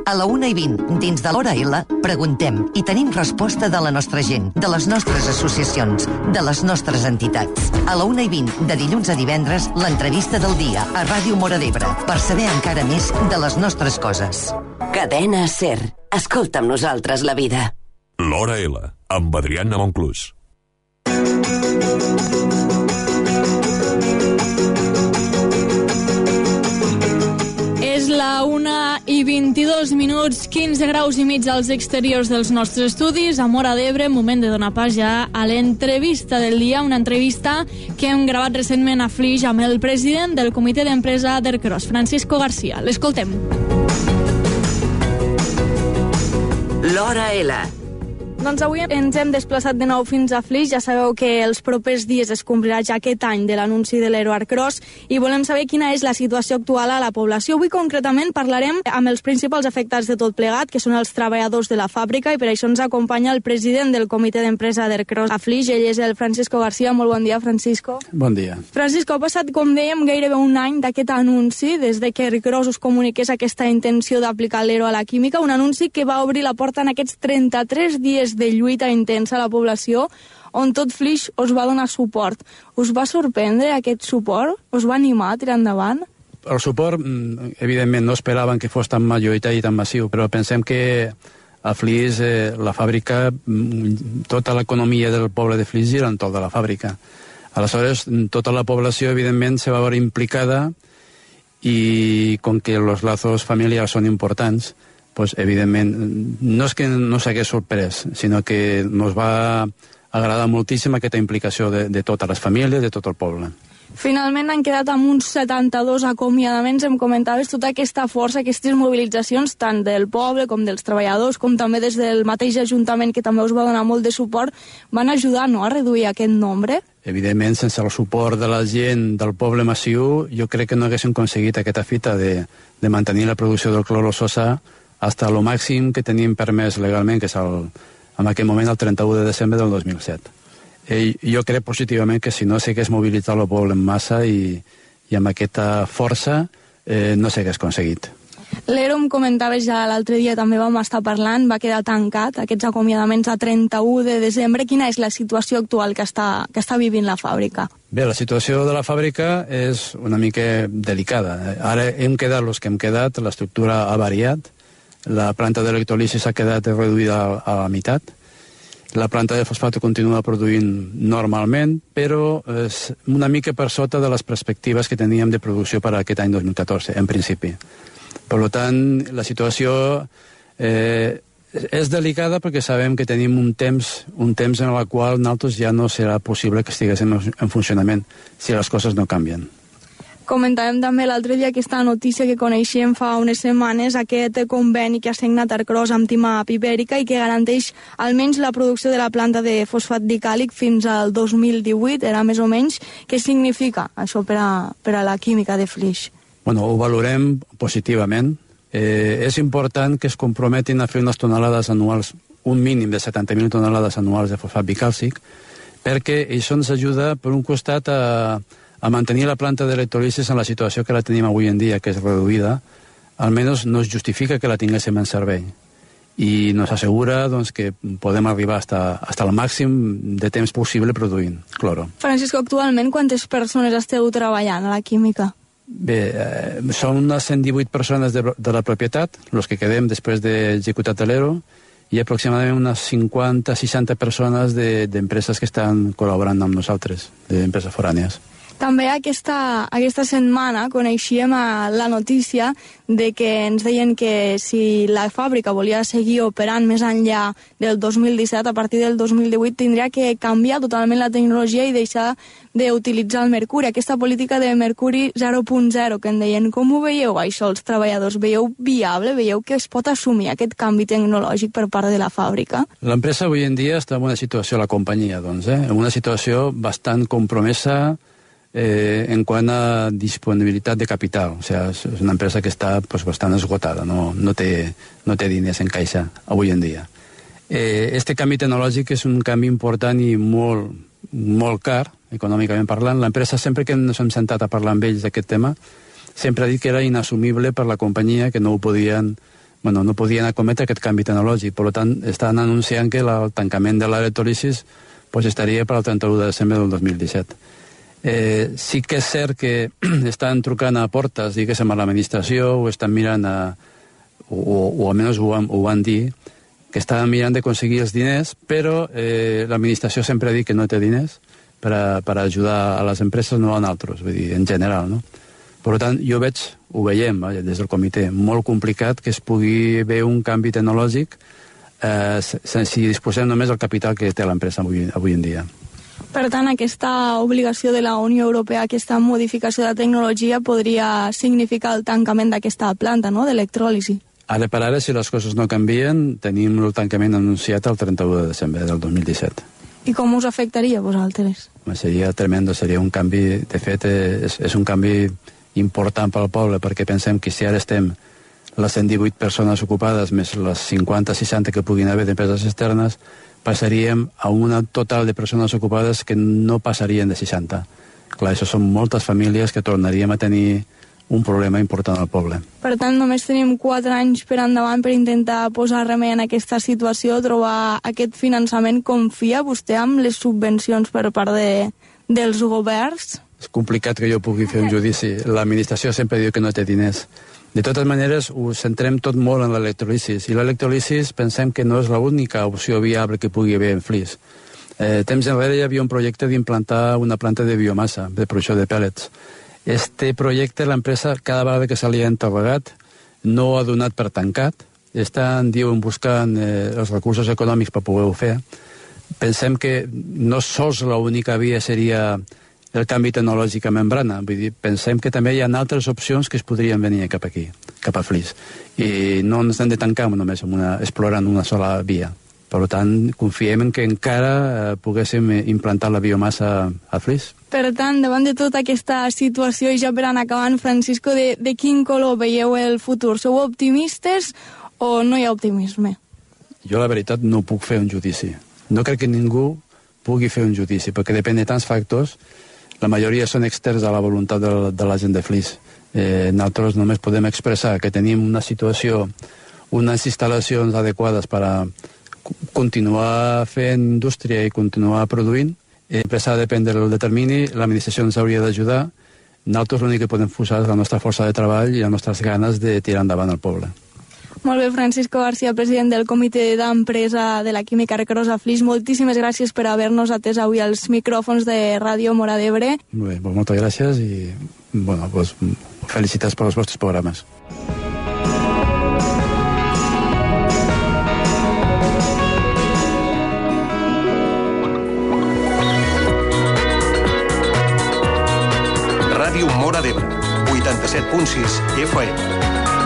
A la 1:20, dins de l'Hora L, preguntem i tenim resposta de la nostra gent, de les nostres associacions, de les nostres entitats. A la 1:20, de dilluns a divendres, l'entrevista del dia a Ràdio Móra d'Ebre, per saber encara més de les nostres coses. Cadena SER. Escolta amb nosaltres la vida. L'Hora L, amb Adriana Monclús. És la 1:22, 15 graus i mig als exteriors dels nostres estudis. A Móra d'Ebre, moment de donar pas ja a l'entrevista del dia, una entrevista que hem gravat recentment a Flix amb el president del comitè d'empresa d'Ercros, Francisco García. L'escoltem. L'Hora L. Doncs avui ens hem desplaçat de nou fins a Flix. Ja sabeu que els propers dies es complirà ja aquest any de l'anunci de l'Ero Ercros i volem saber quina és la situació actual a la població. Avui concretament parlarem amb els principals afectats de tot plegat, que són els treballadors de la fàbrica, i per això ens acompanya el president del comitè d'empresa d'Ercros a Flix. Ell és el Francisco García. Molt bon dia, Francisco. Bon dia. Francisco, ha passat, com dèiem, gairebé un any d'aquest anunci, des de que Ercros us comuniqués aquesta intenció d'aplicar l'Ero a la química, un anunci que va obrir la porta en aquests 33 dies de lluita intensa a la població, on tot Flix us va donar suport. Us va sorprendre aquest suport? Us va animar a tirar endavant? El suport, evidentment, no esperaven que fos tan majoritari i tan massiu, però pensem que a Flix, la fàbrica, tota l'economia del poble de Flix gira entorn de la fàbrica. Aleshores, tota la població, evidentment, se va veure implicada i com que els lazos familiars són importants, pues, evidentment, no és que no s'hagués sorprès, sinó que ens va agradar moltíssim aquesta implicació de totes les famílies, de tot el poble. Finalment han quedat amb uns 72 acomiadaments. Em comentaves tota aquesta força, aquestes mobilitzacions, tant del poble com dels treballadors, com també des del mateix Ajuntament, que també us va donar molt de suport, van ajudar, no?, a reduir aquest nombre? Evidentment, sense el suport de la gent del poble massiu, jo crec que no haguéssim aconseguit aquesta fita de mantenir la producció del clorososa hasta lo màxim que tenim permès legalment, que és en aquell moment el 31 de desembre del 2007. Jo crec positivament que si no s'hagués mobilitzat el poble en massa i amb aquesta força no s'hagués aconseguit. L'Ero, em comentaves ja l'altre dia, també vam estar parlant, va quedar tancat, aquests acomiadaments a 31 de desembre. Quina és la situació actual que està vivint la fàbrica? Bé, la situació de la fàbrica és una mica delicada. Ara hem quedat els que hem quedat, l'estructura ha variat, la planta d'electrolisi s'ha quedat reduïda a la meitat, la planta de fosfato continua produint normalment, però és una mica per sota de les perspectives que teníem de producció per a aquest any 2014, en principi. Per tant, la situació és delicada perquè sabem que tenim un temps en el qual nosaltres ja no serà possible que estiguéssim en funcionament si les coses no canvien. Comentàvem també l'altre dia aquesta notícia que coneixíem fa unes setmanes, aquest conveni que ha signat Ercros amb Timap Ibèrica i que garanteix almenys la producció de la planta de fosfat dicàlic fins al 2018, era més o menys. Què significa això per a la química de Flix? Bueno, ho valorem positivament. És important que es comprometin a fer unes tonelades anuals, un mínim de 70.000 tonelades anuals de fosfat bicàlcic, perquè això ens ajuda, per un costat, a mantenir la planta d'electrolisis en la situació que la tenim avui en dia, que és reduïda. Almenys no es justifica que la tinguéssim en servei. I nos assegura doncs, que podem arribar hasta el màxim de temps possible produint cloro. Francisco, actualment quantes persones esteu treballant a la química? Bé, són unes 118 persones de la propietat, els que quedem després d'executar l'Ero, i aproximadament unes 50-60 persones d'empreses que estan col·laborant amb nosaltres, d'empreses forànies. També aquesta setmana coneixíem la notícia de que ens deien que si la fàbrica volia seguir operant més enllà del 2017, a partir del 2018 tindria que canviar totalment la tecnologia i deixar d'utilitzar el mercuri, aquesta política de mercuri 0.0 que en deien. Com ho veieu això els treballadors? Veieu viable? Veieu que es pot assumir aquest canvi tecnològic per part de la fàbrica? L'empresa avui en dia està en una situació, la companyia, doncs, en una situació bastant compromesa en quant a disponibilitat de capital. O sigui, és una empresa que està bastant esgotada, no té diners en caixa avui en dia. Este canvi tecnològic és un canvi important i molt car, econòmicament parlant. L'empresa, sempre que ens hem sentat a parlar amb ells d'aquest tema, sempre ha dit que era inassumible per la companyia, que no ho podien no podien acometre aquest canvi tecnològic. Per tant, estan anunciant que el tancament de l'electròlisis estaria per al 31 de desembre del 2017. Sí que és cert que estan trucant a portes, diguéssim, a l'administració, o estan mirant, o almenys ho van dir, que estaven mirant d'aconseguir els diners, però l'administració sempre ha dit que no té diners per ajudar a les empreses, no a nosaltres, vull dir, en general, no? Per tant, ho veiem des del comitè, molt complicat que es pugui haver un canvi tecnològic si disposem només del capital que té l'empresa avui en dia. Per tant, aquesta obligació de la Unió Europea, aquesta modificació de la tecnologia, podria significar el tancament d'aquesta planta, no?, d'electròlisi. Ara per ara, si les coses no canvien, tenim el tancament anunciat el 31 de desembre del 2017. I com us afectaria a vosaltres? Seria tremendo, seria un canvi, de fet, és un canvi important pel poble, perquè pensem que si ara estem les 118 persones ocupades més les 50-60 que puguin haver d'empreses externes, passaríem a un total de persones ocupades que no passarien de 60. Clar, això són moltes famílies que tornaríem a tenir un problema important al poble. Per tant, només tenim 4 anys per endavant per intentar posar remei en aquesta situació, trobar aquest finançament. Confia vostè amb les subvencions per part dels governs? És complicat que jo pugui fer un judici. L'administració sempre diu que no té diners. De totes maneres, ho centrem tot molt en l'electròlisis. I l'electròlisis pensem que no és l'única opció viable que pugui haver en Flix. Temps enrere hi havia un projecte d'implantar una planta de biomassa, de producció de pèl·lets. Este projecte, l'empresa, cada vegada que se li ha encarregat, no ha donat per tancat. Diuen, buscant els recursos econòmics per poder-ho fer. Pensem que no sols l'única via seria el canvi tecnològic a membrana. Vull dir, pensem que també hi ha altres opcions que es podrien venir cap aquí, cap a Flix. I no ens hem de tancar només explorant una sola via. Per tant, confiem en que encara poguéssim implantar la biomassa a Flix. Per tant, davant de tota aquesta situació, i ja per anar acabant, Francisco, de quin color veieu el futur? Sou optimistes o no hi ha optimisme? Jo, la veritat, no puc fer un judici. No crec que ningú pugui fer un judici, perquè depèn de tants factors. La majoria són externs a la voluntat de la gent de Flix. Nosaltres només podem expressar que tenim una situació, unes instal·lacions adequades per a continuar fent indústria i continuar produint. L'empresa ha de prendre el termini, l'administració ens hauria d'ajudar. Nosaltres l'únic que podem posar és la nostra força de treball i les nostres ganes de tirar endavant el poble. Molt bé, Francisco García, president del Comitè d'Empresa de la Química Recarosa Flix. Moltíssimes gràcies per haver-nos atès avui als micròfons de Ràdio Móra d'Ebre. Molt bé, moltes gràcies i felicitats pels vostres programes. Ràdio Móra d'Ebre, 87.6 FM.